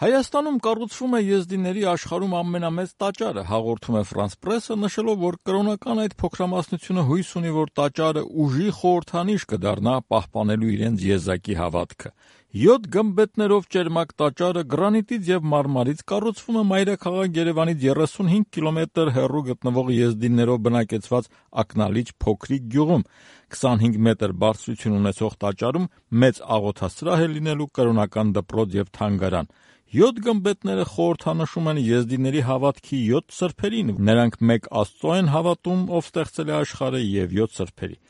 Հայաստանում կառուցվում է եզդիների աշխարհում ամենամեծ տաճարը, հաղորդում է France Press-ը, նշելով, որ կրոնական այդ փոքրամասնությունը հույս ունի, որ տաճարը ուժի խորհրդանիշ կդառնա պահպանելու իրենց եզակի հավատքը։ 7 գմբեթներով ճերմակ տաճարը գրանիտից եւ մարմարից կառուցվում է մայրաքաղաք Երևանից 35 կիլոմետր հեռու գտնվող եզդիներով բնակեցված ակնալիջ փոքրիկ գյուղում։ 25 մետր բարձրություն ունեցող տաճարում մեծ աղոթասրահ է լինելու, կրոնական դպրոց եւ թանգարան։ 7 գմբեթները խորհրդանշում են եզդիների հավատքի 7 սրբերին, նրանք մեկ Աստծո են հավատում, ով ստեղծել է աշխարհը, եւ 7 սրբերի։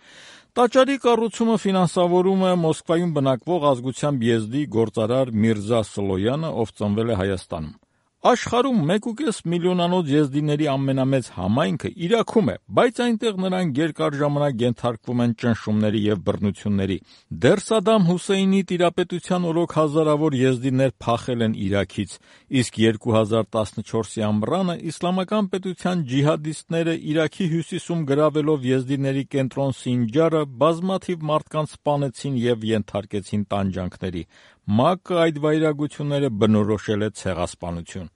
Տաճարի կառուցումը ֆինանսավորում է Մոսկվայում բնակվող ազգությամբ եզդի գործարար Միրզա Սլոյանը, ով ծնվել է Հայաստանում։ Աշխարհում 1.5 միլիոնանոց եզդիների ամենամեծ համայնքը Իրաքում է, բայց այնտեղ նրանք երկար ժամանակ ենթարկվում են ճնշումների եւ բռնությունների։ Դեռ Սադամ Հուսեյնի տիրապետության օրոք հազարավոր եզդիներ փախել են Իրաքից, իսկ 2014-ի ամռանը իսլամական պետության ջիհադիստները Իրաքի հյուսիսում գրավելով եզդիների կենտրոն Սինջարը բազմաթիվ մարդկանց սպանեցին եւ ենթարկեցին տանջանքների։ ՄԱԿ-ը այդ վայրագությունները բնորոշել է ցեղասպանություն։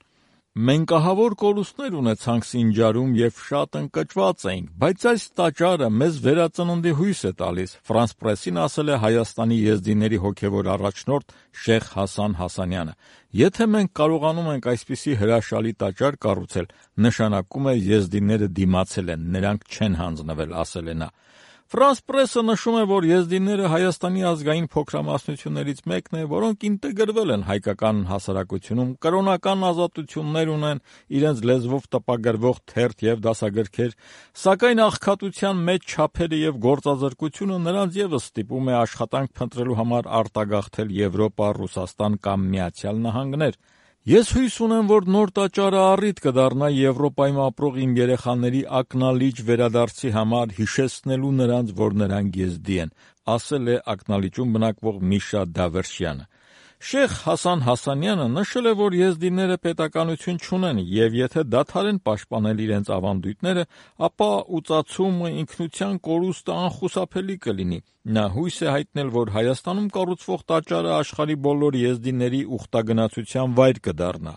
Մենք ահավոր կորուստներ ունեցանք Սինջարում եւ շատ ընկճված էինք, բայց այս տաճարը մեզ վերածննդի հույս է տալիս, France Press-ին ասել է Հայաստանի եզդիների հոգևոր առաջնորդ Շեխ Հասան Հասանյանը։ Եթե մենք կարողանում ենք այսպիսի հրաշալի տաճար կառուցել, նշանակում է եզդիները դիմացել են, նրանք չեն հանձնվել, ասել է նա։ France Press-ը նշում է, որ եզդիները Հայաստանի ազգային փոքրամասնություններից մեկն է, որոնք ինտեգրվել են հայկական հասարակությունում, կրոնական ազատություններ ունեն, իրենց լեզվով տպագրվող թերթ եւ դասագրքեր, սակայն աղքատության մեջ չափերը եւ գործազրկությունը նրանց եւս ստիպում է աշխատանք փնտրելու համար արտագաղթել Եվրոպա, Ռուսաստան կամ Միացյալ Նահանգներ։ Ես հույս ունեմ, որ նոր տաճարը առիթ կդառնա Եվրոպայում ապրող իմ երեխաների ակնալիջ վերադարձի համար, հիշեցնելու նրանց, որ նրանք եզդի են, ասել է ակնալիջում բնակվող Միշա Դավերշյանը։ Շեխ Հասան Հասանյանը նշել է, որ եզդիները պետականություն չունեն եւ եթե դադարեն պաշտպանել իրենց ավանդույթները, ապա ուծացումը, ինքնության կորուստը անխուսափելի կլինի։ Նա հույս է հայտնել, որ Հայաստանում կառուցվող տաճարը աշխարհի բոլոր եզդիների ուխտագնացության վայր կդառնա։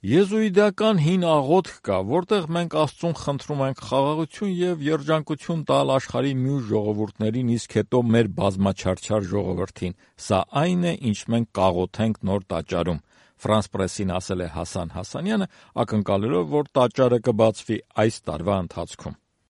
Եզուիդական հին աղոթք կա, որտեղ մենք Աստծուն խնդրում ենք խաղաղություն եւ երջանկություն տալ աշխարհի մյուս ժողովուրդներին, իսկ հետո մեր բազմաչարչար ժողովրդին։ Սա այն է, ինչ մենք կաղոթենք նոր տաճարում։ France Press-ին ասել է Հասան Հասանյանը, ակնկալելով, որ տաճարը կբացվի այս տարվա ընթացքում։